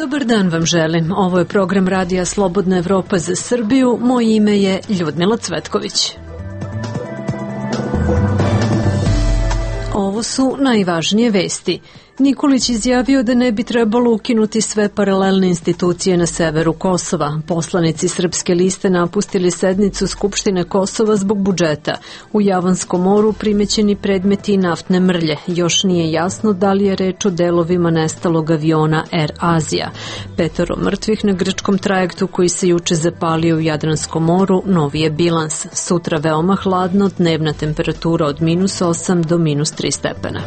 Dobar dan vam želim. Ovo je program Radija Slobodna Evropa za Srbiju. Moje ime je Ljudmila Cvetković. Ovo su najvažnije vesti. Nikolić izjavio da ne bi trebalo ukinuti sve paralelne institucije na severu Kosova. Poslanici Srpske liste napustili sednicu Skupštine Kosova zbog budžeta. U Javanskom moru primećeni predmeti naftne mrlje. Još nije jasno da li je reč o delovima nestalog aviona Air Azija. 5 mrtvih na grčkom trajektu koji se juče zapalio u Jadranskom moru, novi je bilans. Sutra veoma hladno, dnevna temperatura od -8 do -3 stepena.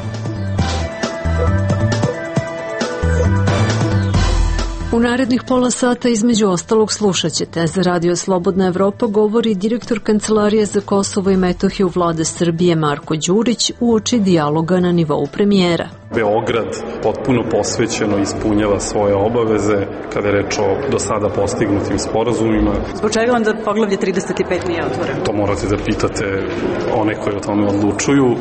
U narednih pola sata između ostalog slušat ćete. Za Radio Slobodna Evropa govori direktor Kancelarije za Kosovo i Metohiju Vlade Srbije Marko Đurić uoči dijaloga na nivou premijera. Beograd potpuno posvećeno ispunjava svoje obaveze kada je reč o do sada postignutim sporazumima. Zbog čega onda poglavlje 35 nije otvoreno? To morate da pitate one koji o tome odlučuju.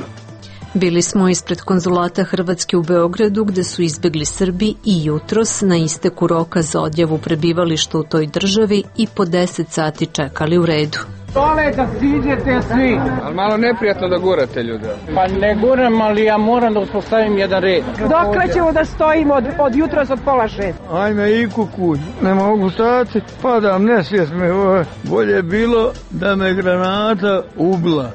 Bili smo ispred konzulata Hrvatske u Beogradu gde su izbegli Srbi i jutros na isteku roka za odjavu prebivališta u toj državi i po 10 sati čekali u redu. Dole da siđete svi. Ali malo neprijatno da gurate ljude. Pa ne guram, ali ja moram da uspostavim jedan red. Dokle ćemo da stojimo od jutros od 5:30? Ajme i kukuj, ne mogu stati, padam, nesvijest me. Bolje bilo da me granata ubila.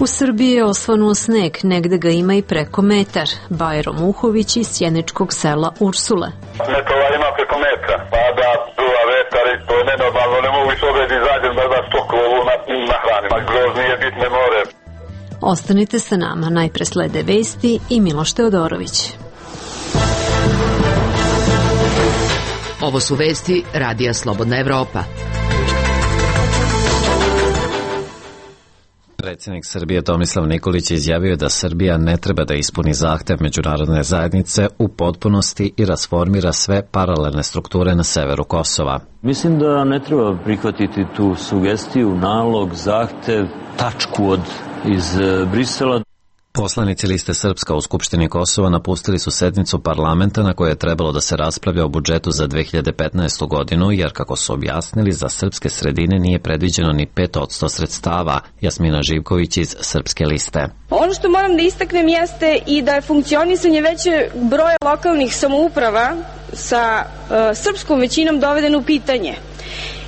U Srbiji je osvanuo sneg, negde ga ima i preko metar. Bajro Muhović iz sjeničkog sela Ursule. Metova ima preko metra, pada, duva vetar i to je nenormalno, ne mogu iz obred izađem da stokovu nahranim, a groznije bitne more. Ostanite sa nama, najpre slede vesti i Miloš Teodorović. Ovo su vesti Radija Slobodna Evropa. Predsjednik Srbije Tomislav Nikolić izjavio da Srbija ne treba da ispuni zahtev međunarodne zajednice u potpunosti i rasformira sve paralelne strukture na severu Kosova. Mislim da ne treba prihvatiti tu sugestiju, nalog, zahtev, tačku iz Brisela. Poslanici Liste Srpska u Skupštini Kosova napustili su sednicu parlamenta na kojoj je trebalo da se raspravlja o budžetu za 2015. godinu, jer kako su objasnili, za srpske sredine nije predviđeno ni 5% sredstava. Jasmina Živković iz Srpske liste. Ono što moram da istaknem jeste i da je funkcionisanje veće broja lokalnih samouprava sa srpskom većinom dovedeno u pitanje.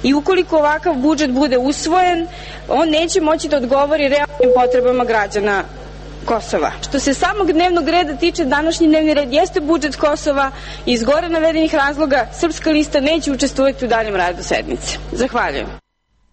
I ukoliko ovakav budžet bude usvojen, on neće moći da odgovori realnim potrebama građana Kosova. Što se samog dnevnog reda tiče, današnji dnevni red jeste budžet Kosova i iz gore navedenih razloga Srpska lista neće učestvovati u daljem radu sednice. Zahvaljujem.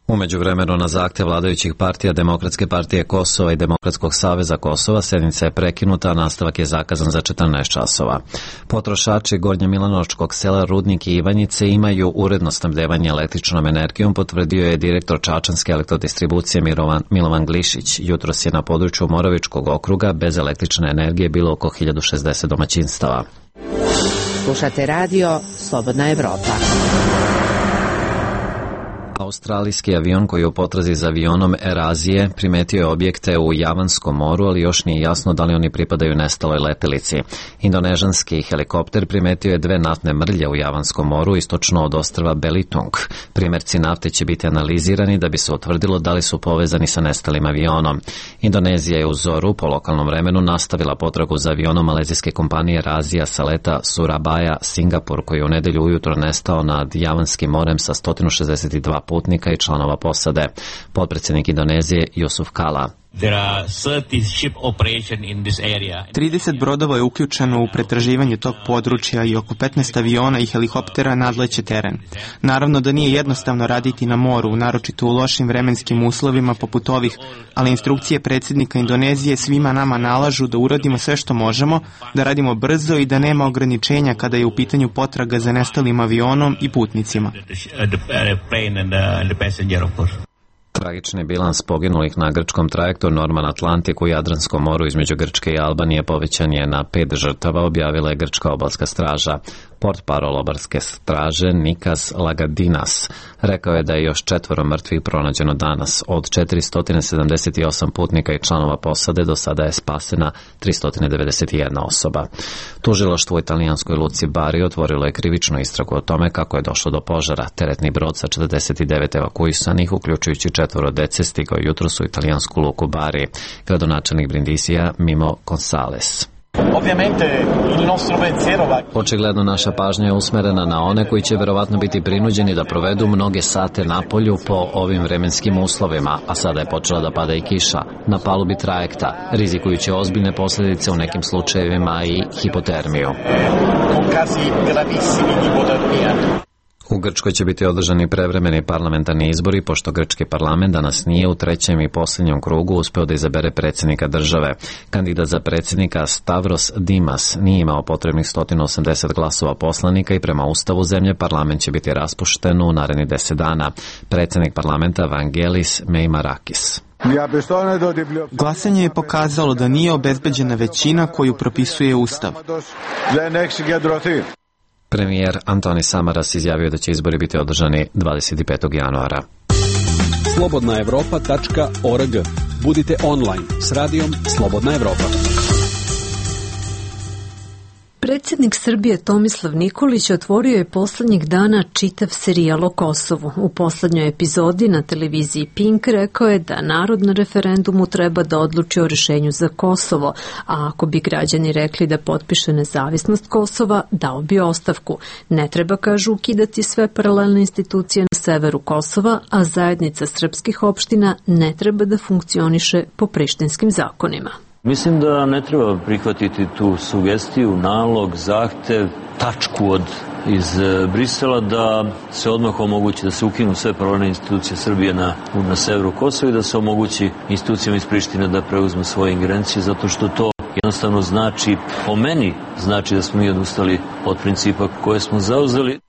U međuvremenu na zahtev vladajućih partija Demokratske partije Kosova i Demokratskog saveza Kosova sednica je prekinuta, a nastavak je zakazan za 14 časova. Potrošači Gornje Milanovačkog sela Rudnik i Ivanjice imaju uredno snabdevanje električnom energijom, potvrdio je direktor Čačanske elektrodistribucije Milovan Glišić. Jutros je na području Moravičkog okruga bez električne energije bilo oko 1060 domaćinstava. Slušate radio Slobodna Evropa. Australijski avion koji je u potrazi za avionom Air Azije primetio je objekte u Javanskom moru, ali još nije jasno da li oni pripadaju nestaloj letelici. Indonežanski helikopter primetio je 2 naftne mrlje u Javanskom moru istočno od ostrva Belitung. Primerci nafte će biti analizirani da bi se utvrdilo da li su povezani sa nestalim avionom. Indonezija je u zoru po lokalnom vremenu nastavila potragu za avionom malezijske kompanije Air Azija sa leta Surabaya, Singapur, koji je u nedelju ujutro nestao nad Javanskim morem sa 162 putnika i članova posade. Potpredsjednik Indonezije Yusuf Kala. 30 brodova je uključeno u pretraživanje tog područja i oko 15 aviona i helikoptera nadleće teren. Naravno da nije jednostavno raditi na moru, naročito u lošim vremenskim uslovima poput ovih, ali instrukcije predsjednika Indonezije svima nama nalažu da uradimo sve što možemo, da radimo brzo i da nema ograničenja kada je u pitanju potraga za nestalim avionom i putnicima. Tragični bilans poginulih na grčkom trajektu Norman Atlantic u Jadranskom moru između Grčke i Albanije povećan je na 5 žrtava, objavila je grčka obalska straža. Portparol obalske straže Nikas Lagadinas rekao je da je još 4 mrtvih pronađeno danas. Od 478 putnika i članova posade do sada je spasena 391 osoba. Tužilaštvo u italijanskoj luci Bari otvorilo je krivičnu istragu o tome kako je došlo do požara. Teretni brod sa 49 evakuisanih, uključujući 4 dece, stigao jutros u italijansku luku Bari. Gradonačelnik Brindisija Mimo Gonzales. Očigledno naša pažnja je usmerena na one koji će verovatno biti prinuđeni da provedu mnoge sate na polju po ovim vremenskim uslovima, a sada je počela da pada i kiša na palubi trajekta, rizikujući ozbiljne posljedice u nekim slučajevima i hipotermiju. U Grčkoj će biti održani prevremeni parlamentarni izbori, pošto grčki parlament danas nije u trećem i posljednjem krugu uspeo da izabere predsjednika države. Kandidat za predsjednika Stavros Dimas nije imao potrebnih 180 glasova poslanika i prema ustavu zemlje parlament će biti raspušten u narednih 10 dana. Predsjednik parlamenta Vangelis Meimarakis. Glasanje je pokazalo da nije obezbeđena većina koju propisuje ustav. Premijer Antoni Samaras izjavio da će izbori biti održani 25. januara. slobodnaevropa.org. Budite online s radijom Slobodna Evropa. Predsjednik Srbije Tomislav Nikolić otvorio je poslednjih dana čitav serijal o Kosovu. U poslednjoj epizodi na televiziji Pink rekao je da narod na referendumu treba da odluči o rešenju za Kosovo, a ako bi građani rekli da potpiše nezavisnost Kosova, dao bi ostavku. Ne treba, kažu, ukidati sve paralelne institucije na severu Kosova, a zajednica srpskih opština ne treba da funkcioniše po prištinskim zakonima. Mislim da ne treba prihvatiti tu sugestiju, nalog, zahtev, tačku iz Brisela da se odmah omogući da se ukinu sve paralelne institucije Srbije na severu Kosova i da se omogući institucijama iz Prištine da preuzme svoje ingerencije, zato što to jednostavno znači, po meni, znači da smo mi odustali od principa koje smo zauzeli.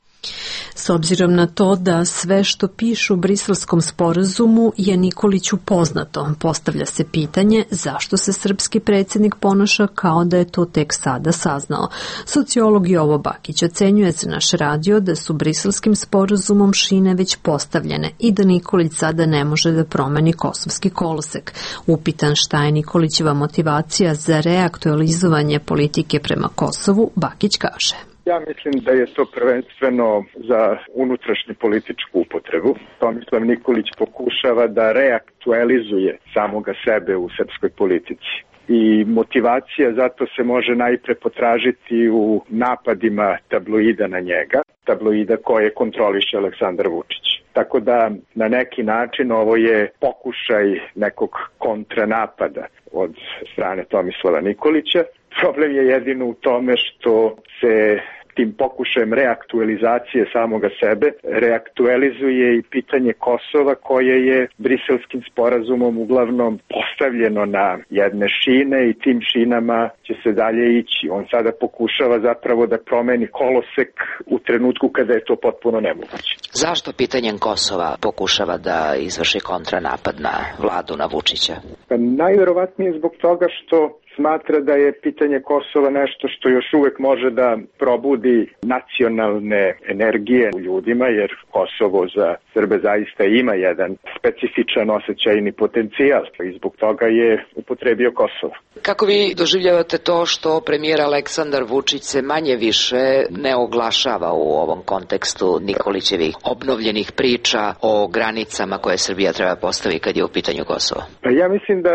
S obzirom na to da sve što pišu u Briselskom sporazumu je Nikoliću poznato, postavlja se pitanje zašto se srpski predsjednik ponaša kao da je to tek sada saznao. Sociolog Jovo Bakić ocenjuje za naš radio da su Briselskim sporazumom šine već postavljene i da Nikolić sada ne može da promeni kosovski kolosek. Upitan šta je Nikolićeva motivacija za reaktualizovanje politike prema Kosovu, Bakić kaže. Ja mislim da je to prvenstveno za unutrašnju političku upotrebu. Tomislav Nikolić pokušava da reaktualizuje samoga sebe u srpskoj politici. I motivacija zato se može najpre potražiti u napadima tabloida na njega, tabloida koje kontroliše Aleksandar Vučić. Tako da na neki način ovo je pokušaj nekog kontranapada od strane Tomislava Nikolića. Problem je jedino u tome što se tim pokušajem reaktualizacije samoga sebe reaktualizuje i pitanje Kosova koje je Briselskim sporazumom uglavnom postavljeno na jedne šine i tim šinama će se dalje ići. On sada pokušava zapravo da promeni kolosek u trenutku kada je to potpuno nemoguće. Zašto pitanjem Kosova pokušava da izvrši kontranapad na vladu, na Vučića? Pa najverovatnije zbog toga što smatra da je pitanje Kosova nešto što još uvek može da probudi nacionalne energije u ljudima, jer Kosovo za Srbe zaista ima jedan specifičan osjećajni potencijal i zbog toga je upotrebio Kosovo. Kako vi doživljavate to što premijer Aleksandar Vučić se manje više ne oglašava u ovom kontekstu Nikolićevih obnovljenih priča o granicama koje Srbija treba postaviti kad je u pitanju Kosovo? Pa ja mislim da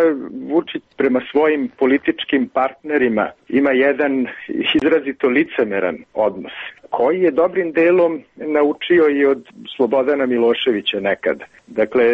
Vučić prema svojim političkim partnerima ima jedan izrazito licemeran odnos, koji je dobrim delom naučio i od Slobodana Miloševića nekad. Dakle,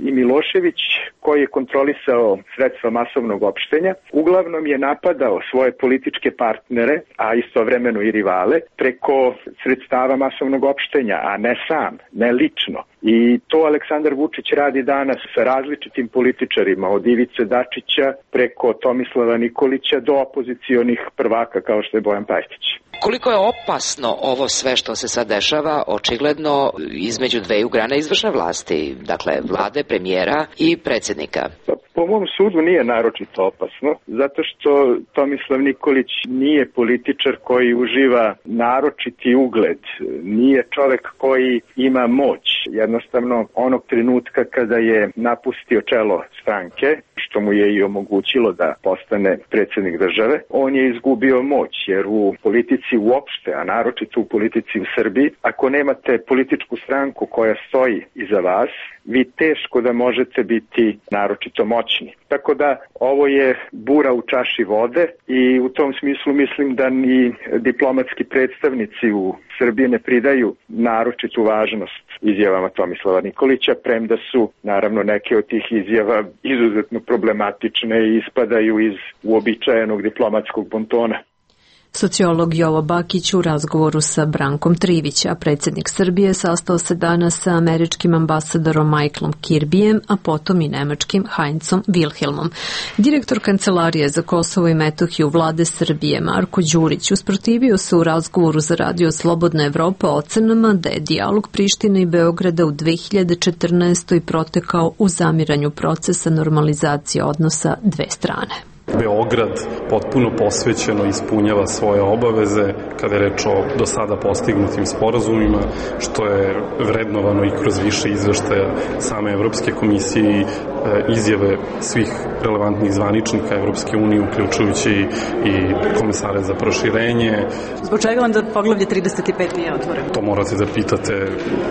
i Milošević, koji je kontrolisao sredstva masovnog opštenja, uglavnom je napadao svoje političke partnere, a istovremeno i rivale, preko sredstava masovnog opštenja, a ne sam, ne lično. I to Aleksandar Vučić radi danas sa različitim političarima, od Ivice Dačića preko Tomislava Nikolića do opozicionih prvaka kao što je Bojan Pajtić. Koliko je opasno ovo sve što se sad dešava, očigledno između dveju grana izvršne vlasti, dakle vlade, premijera i predsjednika? Po mom sudu nije naročito opasno, zato što Tomislav Nikolić nije političar koji uživa naročiti ugled, nije čovek koji ima moć. Jednostavno, onog trenutka kada je napustio čelo stranke, što mu je i omogućilo da postane predsjednik države, on je izgubio moć, jer u politici uopšte, a naročito u politici u Srbiji, ako nemate političku stranku koja stoji iza vas, vi teško da možete biti naročito moćni. Tako da ovo je bura u čaši vode i u tom smislu mislim da ni diplomatski predstavnici u Srbiji ne pridaju naročitu važnost izjavama Tomislava Nikolića, premda su naravno neke od tih izjava izuzetno problematične i ispadaju iz uobičajenog diplomatskog bontona. Sociolog Jovo Bakić u razgovoru sa Brankom Trivić, a predsjednik Srbije sastao se danas sa američkim ambasadorom Michaelom Kirbyjem, a potom i nemačkim Heinzom Wilhelmom. Direktor Kancelarije za Kosovo i Metohiju vlade Srbije Marko Đurić usprotivio se u razgovoru za radio Slobodna Evropa ocenama da je dijalog Prištine i Beograda u 2014. protekao u zamiranju procesa normalizacije odnosa dve strane. Beograd potpuno posvećeno ispunjava svoje obaveze kada je reč o do sada postignutim sporazumima, što je vrednovano i kroz više izveštaja same Evropske komisije i izjave svih relevantnih zvaničnika Evropske unije, uključujući i komisare za proširenje. Zbog čega onda poglavlje 35 nije otvoreno? To morate da pitate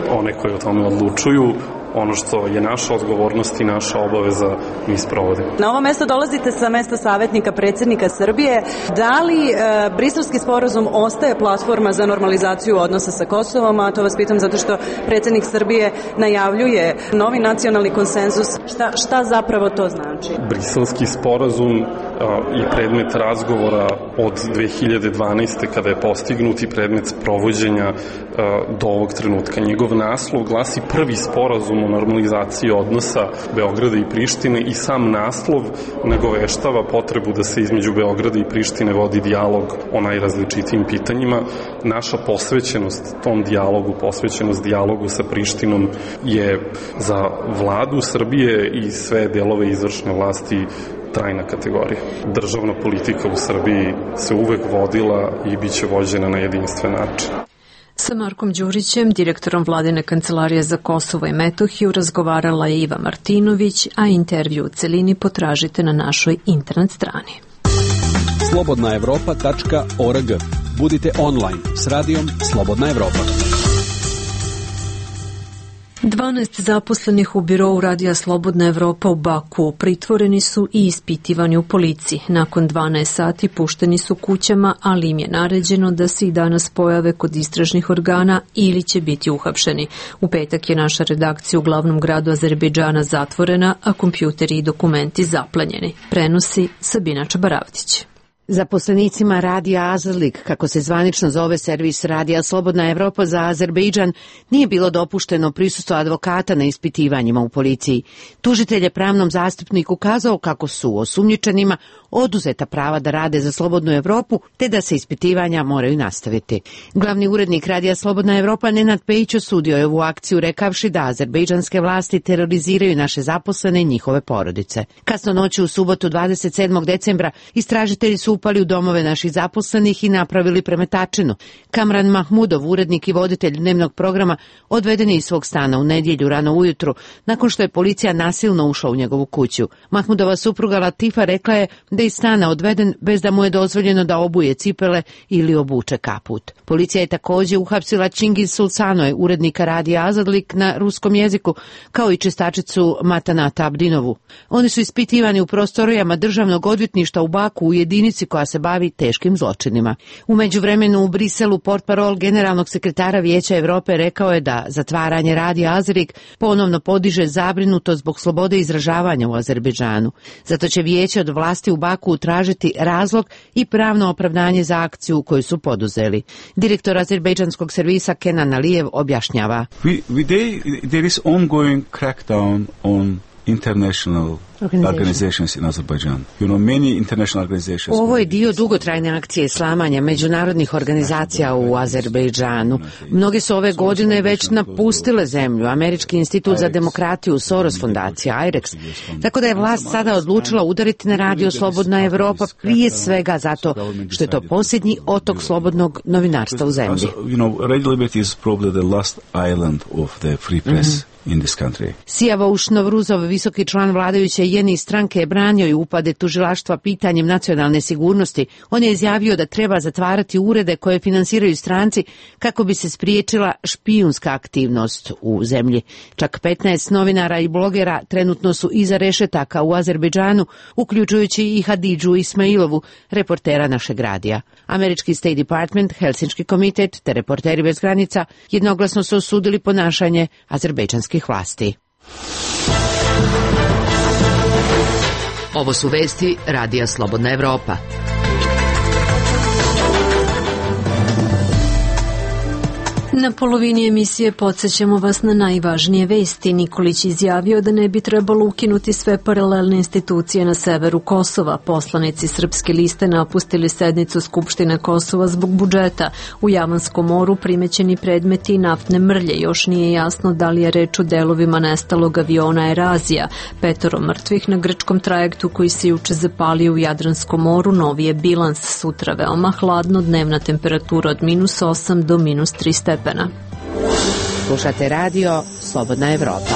one koji o tome odlučuju. Ono što je naša odgovornost i naša obaveza mi sprovodimo. Na ovo mesto dolazite sa mesta savjetnika predsjednika Srbije. Da li Briselski sporazum ostaje platforma za normalizaciju odnosa sa Kosovom? A to vas pitam zato što predsjednik Srbije najavljuje novi nacionalni konsenzus. Šta zapravo to znači? Briselski sporazum je predmet razgovora od 2012. kada je postignut i predmet sprovođenja do ovog trenutka. Njegov naslov glasi prvi sporazum o normalizaciji odnosa Beograda i Prištine i sam naslov nagoveštava potrebu da se između Beograda i Prištine vodi dijalog o najrazličitijim pitanjima. Naša posvećenost tom dijalogu, posvećenost dijalogu sa Prištinom je za vladu Srbije i sve delove izvršne vlasti trajna kategorija. Državna politika u Srbiji se uvek vodila i bit će vođena na jedinstven način. Sa Markom Đurićem, direktorom Vladine kancelarije za Kosovo i Metohiju, razgovarala je Iva Martinović, a intervju u celini potražite na našoj internet strani. slobodnaevropa.org. Budite online s radijom Slobodna Evropa. 12 zaposlenih u birovu radija Slobodna Evropa u Baku pritvoreni su i ispitivani u policiji. Nakon 12 sati pušteni su kućama, ali im je naređeno da se i danas pojave kod istražnih organa ili će biti uhapšeni. U petak je naša redakcija u glavnom gradu Azerbejdžana zatvorena, a kompjuteri i dokumenti zaplenjeni. Prenosi Sabina Čabaravdić. Zaposlenicima radija Azerlik, kako se zvanično zove servis radija Slobodna Evropa za Azerbejdžan, nije bilo dopušteno prisustvo advokata na ispitivanjima u policiji. Tužitelj je pravnom zastupniku kazao kako su osumnjičenima oduzeta prava da rade za Slobodnu Evropu, te da se ispitivanja moraju nastaviti. Glavni urednik radija Slobodna Evropa Nenad Pejić osudio je ovu akciju rekavši da azerbejdžanske vlasti teroriziraju naše zaposlene i njihove porodice. Kasno noću u subotu 27. decembra istražitelji su upali u domove naših zaposlenih i napravili premetačinu. Kamran Mahmudov, urednik i voditelj dnevnog programa, odveden je iz svog stana u nedjelju rano ujutru, nakon što je policija nasilno ušla u njegovu kuću. Mahmudova supruga Latifa rekla je da je iz stana odveden bez da mu je dozvoljeno da obuje cipele ili obuče kaput. Policija je također uhapsila Čingiz Sulcanoje, urednika radija Azadlik na ruskom jeziku, kao i čistačicu Matanata Abdinovu. Oni su ispitivani u prostorijama državnog odvjetništva u Baku u jedinici koja se bavi teškim zločinima. U međuvremenu u Briselu portparol generalnog sekretara Vijeća Evrope rekao je da zatvaranje radija Azrik ponovno podiže zabrinutost zbog slobode izražavanja u Azerbejdžanu. Zato će Vijeće od vlasti u Baku tražiti razlog i pravno opravdanje za akciju koju su poduzeli. Direktor azerbejdžanskog servisa Kenan Alijev objašnjava. There is ongoing crackdown on international organizations in Azerbaijan. You know, many international organizations. Ovo je dio dugotrajne akcije slamanja međunarodnih organizacija u Azerbejdžanu. Mnoge su ove godine već napustile zemlju. Američki institut za demokratiju, Soros fondacija, IREX. Tako da je vlast sada odlučila udariti na radio Slobodna Evropa, prije svega zato što je to posljednji otok slobodnog novinarstva u zemlji. You know, Radio Liberty is probably the last island of the free press. In this country. Sijavouš Novruzov, visoki član vladajuće Jeni stranke, je branio i upade tužilaštva pitanjem nacionalne sigurnosti. On je izjavio da treba zatvarati urede koje finansiraju stranci kako bi se spriječila špijunska aktivnost u zemlji. Čak 15 novinara i blogera trenutno su iza rešetaka u Azerbejdžanu, uključujući i Hadidžu Ismailovu, reportera našeg radija. Američki State Department, Helsinški komitet te Reporteri bez granica jednoglasno su osudili ponašanje azerbejdžanskih vlasti. Ovo su vesti Radija Slobodna Evropa. Na polovini emisije podsjećamo vas na najvažnije vesti. Nikolić izjavio da ne bi trebalo ukinuti sve paralelne institucije na severu Kosova. Poslanici Srpske liste napustili sednicu Skupštine Kosova zbog budžeta. U Javanskom moru primećeni predmeti naftne mrlje. Još nije jasno da li je reč o delovima nestalog aviona Erazija. 5 mrtvih na grčkom trajektu koji se juče zapalio u Jadranskom moru. Novi je bilans. Sutra veoma hladno, dnevna temperatura od -8 do -3 stepena. Slušate radio Slobodna Evropa.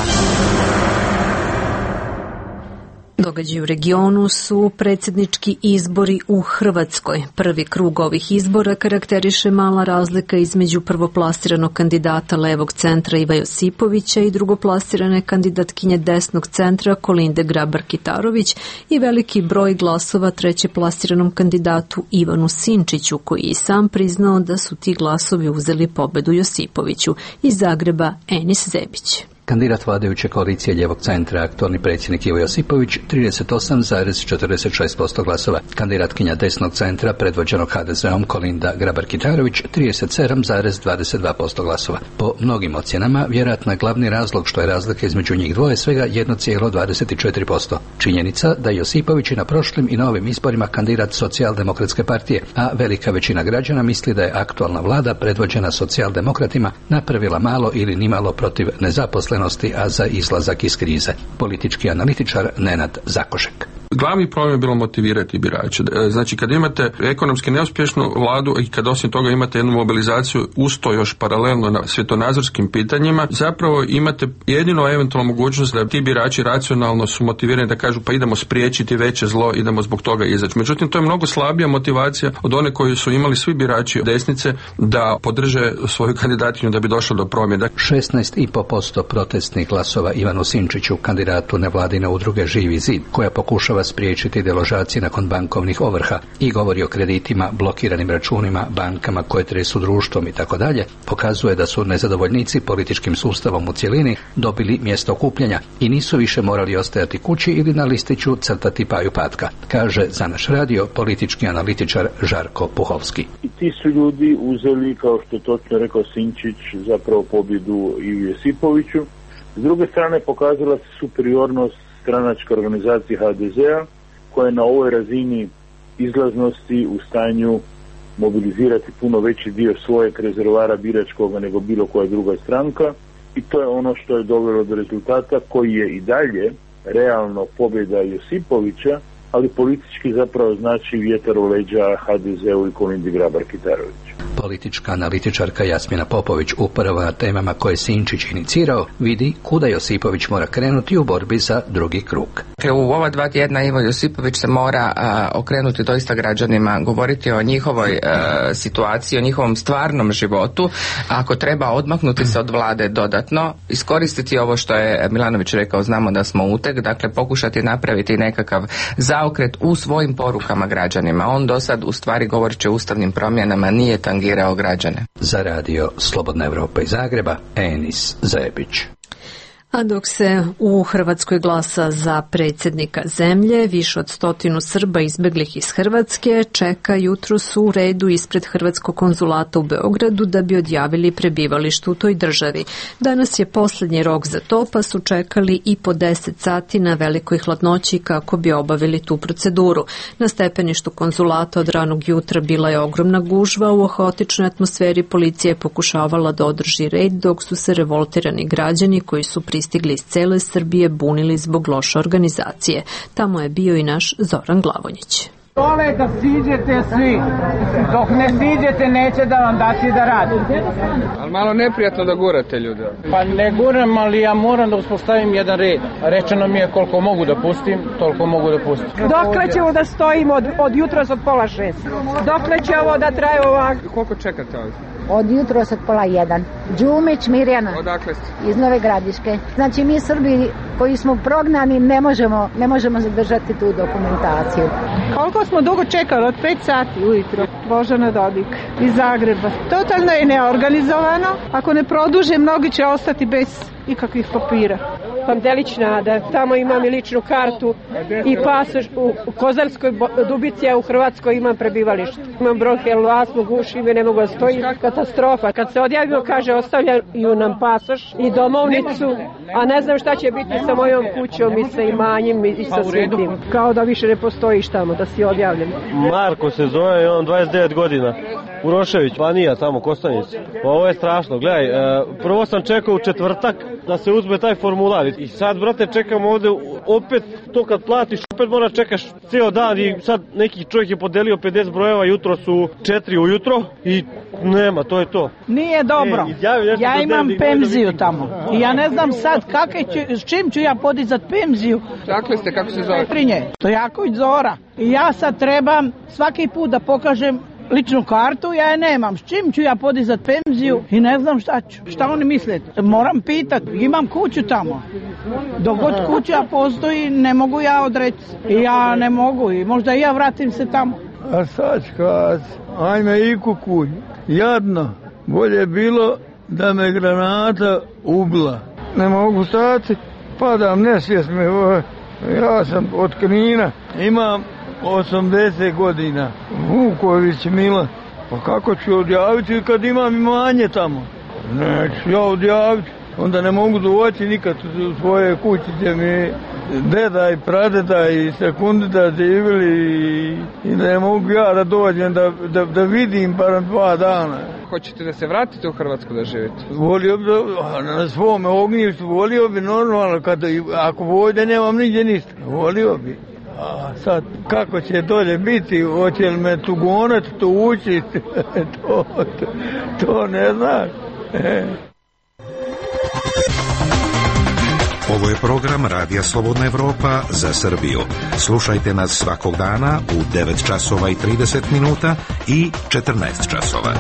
Događaji u regionu su predsjednički izbori u Hrvatskoj. Prvi krug ovih izbora karakteriše mala razlika između prvoplasiranog kandidata levog centra Iva Josipovića i drugoplasirane kandidatkinje desnog centra Kolinde Grabar-Kitarović i veliki broj glasova trećeplasiranom kandidatu Ivanu Sinčiću, koji je sam priznao da su ti glasovi uzeli pobedu Josipoviću. Iz Zagreba Enis Zebić. Kandidat vladajuće koalicije ljevog centra, aktualni predsjednik Ivo Josipović, 38,46% glasova. Kandidatkinja desnog centra, predvođenog HDZ-om Kolinda Grabar-Kitarović, 37,22% glasova. Po mnogim ocjenama, vjerojatno je glavni razlog što je razlika između njih dvoje svega 1,24%. Činjenica da Josipović i na prošlim i na ovim izborima kandidat Socijaldemokratske partije, a velika većina građana misli da je aktualna vlada, predvođena socijaldemokratima, napravila malo ili nimalo protiv nezaposlenosti, a za izlazak iz krize. Politički analitičar Nenad Zakošek. Glavni problem je bilo motivirati birače. Znači, kad imate ekonomski neuspješnu vladu i kad osim toga imate jednu mobilizaciju usto još paralelno na svjetonazorskim pitanjima, zapravo imate jedino eventualno mogućnost da ti birači racionalno su motivirani da kažu pa idemo spriječiti veće zlo, idemo zbog toga izaći. Međutim, to je mnogo slabija motivacija od one koju su imali svi birači desnice da podrže svoju kandidatkinju da bi došlo do promjene. 16,5% protestnih glasova Ivanu Sinčiću, kandidatu nevladine udruge Živi zid, koja pokušava spriječiti deložacije nakon bankovnih ovrha i govori o kreditima, blokiranim računima, bankama koje tresu društvom i tako dalje, pokazuje da su nezadovoljnici političkim sustavom u cjelini dobili mjesto okupljanja i nisu više morali ostajati kući ili na listiću crtati Paju Patka, kaže za naš radio politički analitičar Žarko Puhovski. I ti su ljudi uzeli, kao što je točno rekao Sinčić, zapravo pobjedu i Josipoviću. S druge strane pokazala se superiornost stranačke organizacije HDZ-a, koja je na ovoj razini izlaznosti u stanju mobilizirati puno veći dio svojeg rezervara biračkoga nego bilo koja druga stranka, i to je ono što je dovelo do rezultata koji je i dalje realno pobjeda Josipovića, ali politički zapravo znači vjetar u leđa HDZ-u i Kolindi Grabar-Kitarović. Politička analitičarka Jasmina Popović, upravo na temama koje Sinčić inicirao, vidi kuda Josipović mora krenuti u borbi za drugi krug. U ova 2 tjedna Ivo Josipović se mora okrenuti doista građanima, govoriti o njihovoj situaciji, o njihovom stvarnom životu. Ako treba odmaknuti se od vlade dodatno, iskoristiti ovo što je Milanović rekao, znamo da smo uteg, dakle pokušati napraviti nekakav zaokret u svojim porukama građanima. On do sad u stvari govoreći o ustavnim promjenama nije tangirao građane. Za radio Slobodna Evropa iz Zagreba, Enis Zebić. A dok se u Hrvatskoj glasa za predsjednika zemlje, više od 100 Srba izbeglih iz Hrvatske čeka jutros u redu ispred Hrvatskog konzulata u Beogradu da bi odjavili prebivalište u toj državi. Danas je posljednji rok za to, pa su čekali i po 10 sati na velikoj hladnoći kako bi obavili tu proceduru. Na stepeništu konzulata od ranog jutra bila je ogromna gužva, u haotičnoj atmosferi policija je pokušavala da održi red dok su se revoltirani građani koji su pristigli iz cele Srbije bunili zbog loše organizacije. Tamo je bio i naš Zoran Glavonjić. Dole da siđete svi. Dok ne siđete neće da vam dati da radite. Ali malo neprijatno da gurate ljude. Pa ne guram, ali ja moram da uspostavim jedan red. Rečeno mi je koliko mogu da pustim, toliko mogu da pustim. Dokle ćemo da stojimo od jutros od 5:30? Dokle će ovo da traje ovako? Koliko čekate ovdje? Od jutros od 12:30. Đumić Mirjana. Odakle ste? Iz Nove Gradiške. Znači mi Srbi koji smo prognani ne možemo zadržati tu dokumentaciju. Koliko smo dugo čekali? Od 5 sati ujutro. Božana Dodik iz Zagreba. Totalno je neorganizovano. Ako ne produže, mnogi će ostati bez ikakvih papira. Pantelić Nada, tamo imam i ličnu kartu i pasoš u Kozarskoj Dubici, a u Hrvatskoj imam prebivalište. Imam bronhijalnu astmu, gušim i ne mogu da stojim. Katastrofa. Kad se odjavimo, kaže, ostavljaju nam pasoš i domovnicu, a ne znam šta će biti sa mojom kućom i sa imanjem i sa svim tim. Kao da više ne postojiš tamo, da si odjavljen. Marko se zove, on 29 godina. Urošević, Banija, tamo, Kostanici. Ovo je strašno, gledaj, prvo sam čekao u četvrtak da se uzme taj formular i sad, brate, čekam ovde, opet to kad platiš, opet mora čekaš ceo dan i sad neki čovjek je podelio 50 brojeva, jutro su 4 ujutro i nema, to je to. Nije dobro, ja imam penziju tamo i ja ne znam sad s čim ću ja podizat penziju. Dakle ste, kako se zove? Petrinje, Stojaković Zora. I ja sad trebam svaki put da pokažem ličnu kartu, ja je nemam. S čim ću ja podizat penziju i ne znam šta ću. Šta oni misle? Moram pitat. Imam kuću tamo. Dok god kuća postoji, ne mogu ja odreći. I ja ne mogu i možda i ja vratim se tamo. A sad kad, ajme i kukulj. Jadno. Bolje bilo da me granata ubila. Ne mogu stati, padam, nesvijest me. Ja sam od Knina. Imam 80 godina. Vuković Mila. Pa kako ću odjaviti kad imam imanje tamo? Neću ja odjaviti. Onda ne mogu doći nikad u svoje kući gdje mi deda i pradeda i sekundita živjeli i ne mogu ja da dođem da vidim bar 2 dana. Hoćete da se vratite u Hrvatsku da živite? Volio bi na svome ognjištu, volio bi normalno, ako ovdje nemam nigdje ništa, volio bi. A sad, kako će dolje biti, hoće li me tu gonati, tu učiti, to ne znaš. Ovo je program Radija Slobodna Evropa za Srbiju. Slušajte nas svakog dana u 9 časova i 30 minuta i 14 časova.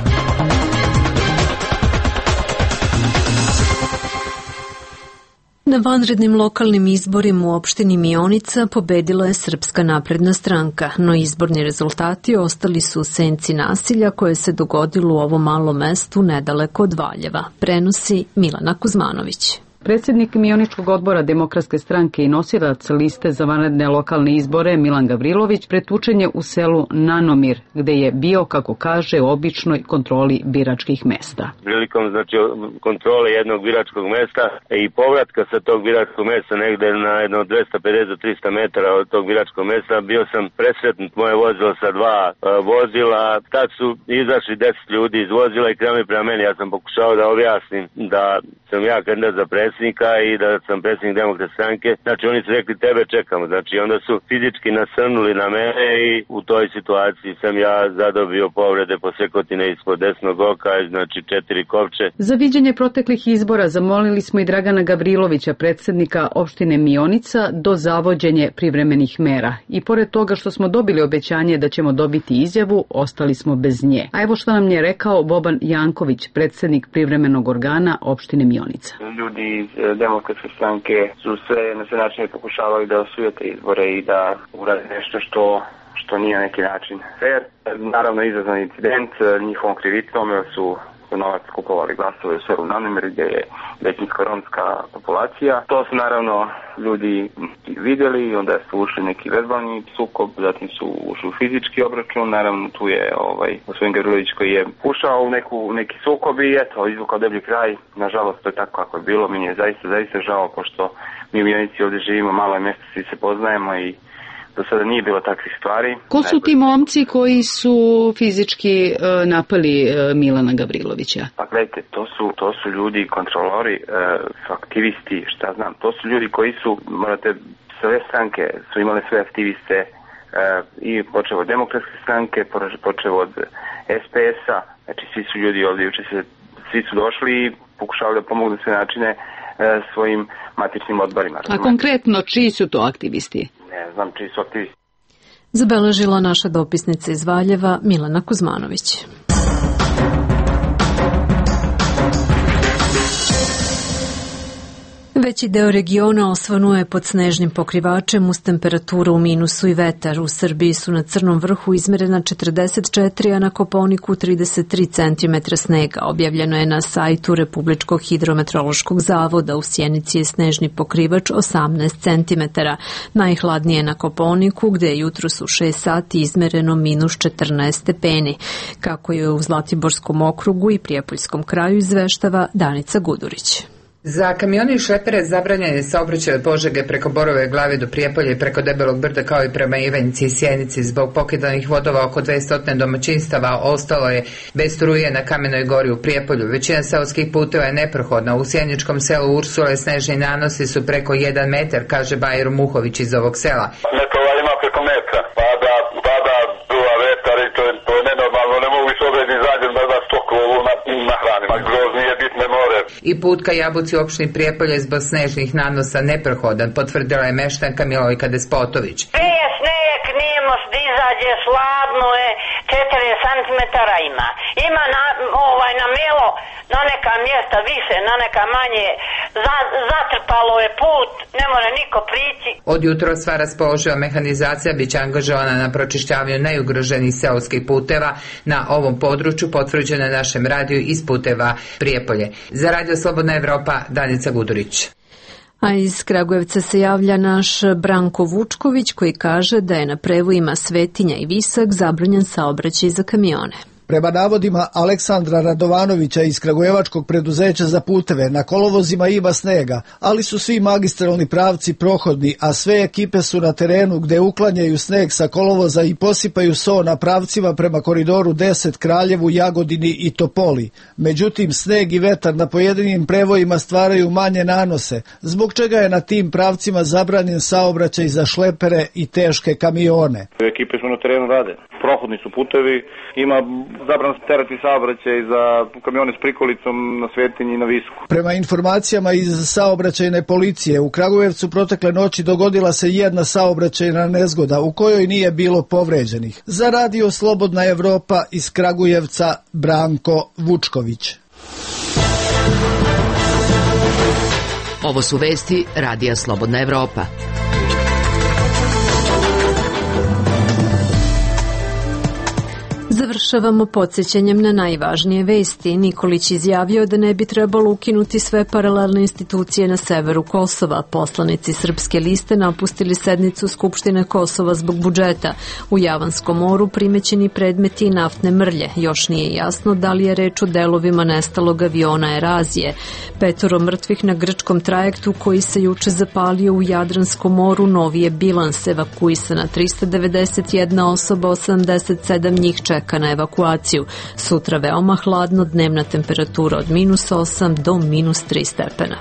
Na vanrednim lokalnim izborima u opštini Mionica pobedila je Srpska napredna stranka, no izborni rezultati ostali su u senci nasilja koje se dogodilo u ovom malom mestu nedaleko od Valjeva. Prenosi Milana Kuzmanović. Predsjednik Mioničkog odbora Demokratske stranke i nosilac liste za vanredne lokalne izbore Milan Gavrilović pretučen je u selu Nanomir, gde je bio, kako kaže, u običnoj kontroli biračkih mesta. Prilikom kontrole jednog biračkog mesta i povratka sa tog biračkog mesta negde na jedno 250 do 300 metara od tog biračkog mesta bio sam presretnut moje vozilo sa 2 vozila. Tad su izašli 10 ljudi iz vozila i krenuli prema meni. Ja sam pokušao da objasnim da sam ja kandidat za predsjednika i da sam predsjednik Demokratske stranke. Znači oni su rekli tebe čekamo. Znači onda su fizički nasrnuli na mene i u toj situaciji sam ja zadobio povrede posekotine ispod desnog oka, znači 4 kopče. Za viđenje proteklih izbora zamolili smo i Dragana Gavrilovića, predsjednika opštine Mionica, do zavođenje privremenih mera. I pored toga što smo dobili obećanje da ćemo dobiti izjavu, ostali smo bez nje. A evo što nam je rekao Boban Janković, predsjednik privremenog organa opštine Mionica. Ljudi iz Demokratske stranke su na sve načine pokušavali da osujete izbore i da urade nešto što nije na neki način fair. Naravno izazvan incident, njihovom krivicom su novac kupovali glasove u Severnu Nameri gdje je većinska romska populacija. To su naravno ljudi vidjeli, onda su ušli neki verbalni sukob, zatim su ušli u fizički obračun, naravno tu je gospodin Gavrilović koji je ušao u neki sukob i eto, izvukao deblji kraj. Nažalost, to je tako kako je bilo, meni je zaista žao, pošto mi u Mionici ovdje živimo, malo je mjesto, svi se poznajemo i do sada nije bilo takvih stvari. Ko su ti momci koji su fizički napali Milana Gavrilovića? Pa gledajte, to su ljudi, kontrolori, aktivisti, šta znam, to su ljudi koji su, morate, sve stranke su imale sve aktiviste i počeo od Demokratske stranke, počeo od SPS-a, znači svi su ljudi ovdje, svi su došli i pokušavali da pomognu sve načine svojim matičnim odborima. A konkretno, čiji su to aktivisti? Ne znam čiji su aktivisti. Zabeležila naša dopisnica iz Valjeva Milana Kuzmanović. Veći deo regiona osvanuo je pod snežnim pokrivačem uz temperaturu u minusu i vetar. U Srbiji su na Crnom vrhu izmerena 44, a na Kopaoniku 33 cm snega. Objavljeno je na sajtu Republičkog hidrometeorološkog zavoda. U Sjenici je snežni pokrivač 18 cm. Najhladnije na Kopaoniku, gde je jutros u 6 sati izmereno minus 14 stepeni. Kako je u Zlatiborskom okrugu i Prijepoljskom kraju, izveštava Danica Gudurić. Za kamione i šlepere zabranjen je saobraćaj od Požege preko Borove Glave do Prijepolja i preko Debelog brda kao i prema Ivanjici i Sjenici. Zbog pokidanih vodova oko 200 domaćinstava ostalo je bez struje na Kamenoj gori u Prijepolju. Većina seoskih puteva je neprohodna. U sjeničkom selu Ursule snežni nanosi su preko 1 metar, kaže Bajro Muhović iz ovog sela. Metrova ima preko metra, pada duva vetar i to je nenormalno, ne mogu se ovdje izađem da stokovu nahranim, a groznije bitne more. I put ka Jabuci u opštini Prijepolje zbog snežnih nanosa neprohodan, potvrdila je meštanka Milojka Despotović. Prije sneg nije most izađe, sladno je, 4 cm ima. Ima na melo, na neka mjesta više, na neka manje, zatrpalo je put, ne mora niko prići. Od jutro sva raspoloživa mehanizacija biće angažovana na pročišćavanju najugroženih seoskih puteva na ovom području, potvrđeno na našem radiju iz puteva Prijepolje. Za Radio Slobodna Evropa, Danica Gudurić. A iz Kragujevca se javlja naš Branko Vučković koji kaže da je na prevojima Svetinja i Visak zabranjen saobraćaj za kamione. Prema navodima Aleksandra Radovanovića iz Kragujevačkog preduzeća za puteve, na kolovozima ima snega, ali su svi magistralni pravci prohodni, a sve ekipe su na terenu gde uklanjaju sneg sa kolovoza i posipaju so na pravcima prema koridoru 10 Kraljevu, Jagodini i Topoli. Međutim, sneg i vetar na pojedinim prevojima stvaraju manje nanose, zbog čega je na tim pravcima zabranjen saobraćaj za šlepere i teške kamione. Ekipe su na terenu rade. Prohodni su putevi, ima zabran terati saobraćaj za kamione s prikolicom na Svetinji i na Visku. Prema informacijama iz saobraćajne policije, u Kragujevcu protekle noći dogodila se jedna saobraćajna nezgoda u kojoj nije bilo povređenih. Za Radio Slobodna Evropa iz Kragujevca, Branko Vučković. Ovo su vesti Radija Slobodna Evropa. Završavamo podsjećanjem na najvažnije vesti. Nikolić izjavio da ne bi trebalo ukinuti sve paralelne institucije na severu Kosova. Poslanici Srpske liste napustili sednicu Skupštine Kosova zbog budžeta. U Javanskom moru primećeni predmeti i naftne mrlje. Još nije jasno da li je reč o delovima nestalog aviona Erazije. 5 mrtvih na grčkom trajektu koji se juče zapalio u Jadranskom moru novi je bilans. Evakuisana 391 osoba, 87 njih čeka na evakuaciju. Sutra veoma hladno, dnevna temperatura od -8 do -3 stepena.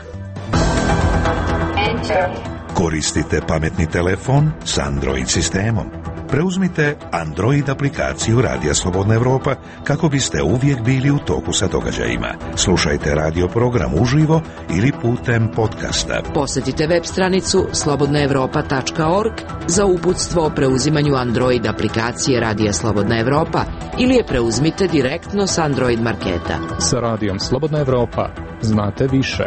Koristite pametni telefon s Android sistemom. Preuzmite Android aplikaciju Radija Slobodna Evropa kako biste uvijek bili u toku sa događajima. Slušajte radio program uživo ili putem podcasta. Posjetite web stranicu slobodnaevropa.org za uputstvo o preuzimanju Android aplikacije Radija Slobodna Evropa ili je preuzmite direktno s Android marketa. Sa Radijom Slobodna Evropa znate više.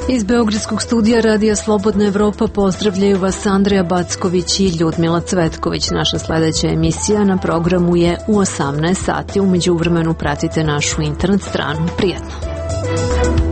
Iz Beogradskog studija Radija Slobodna Evropa pozdravljaju vas Andreja Backović i Ljudmila Cvetković. Naša sledeća emisija na programu je u 18 sati. U međuvremenu pratite našu internet stranu. Prijatno!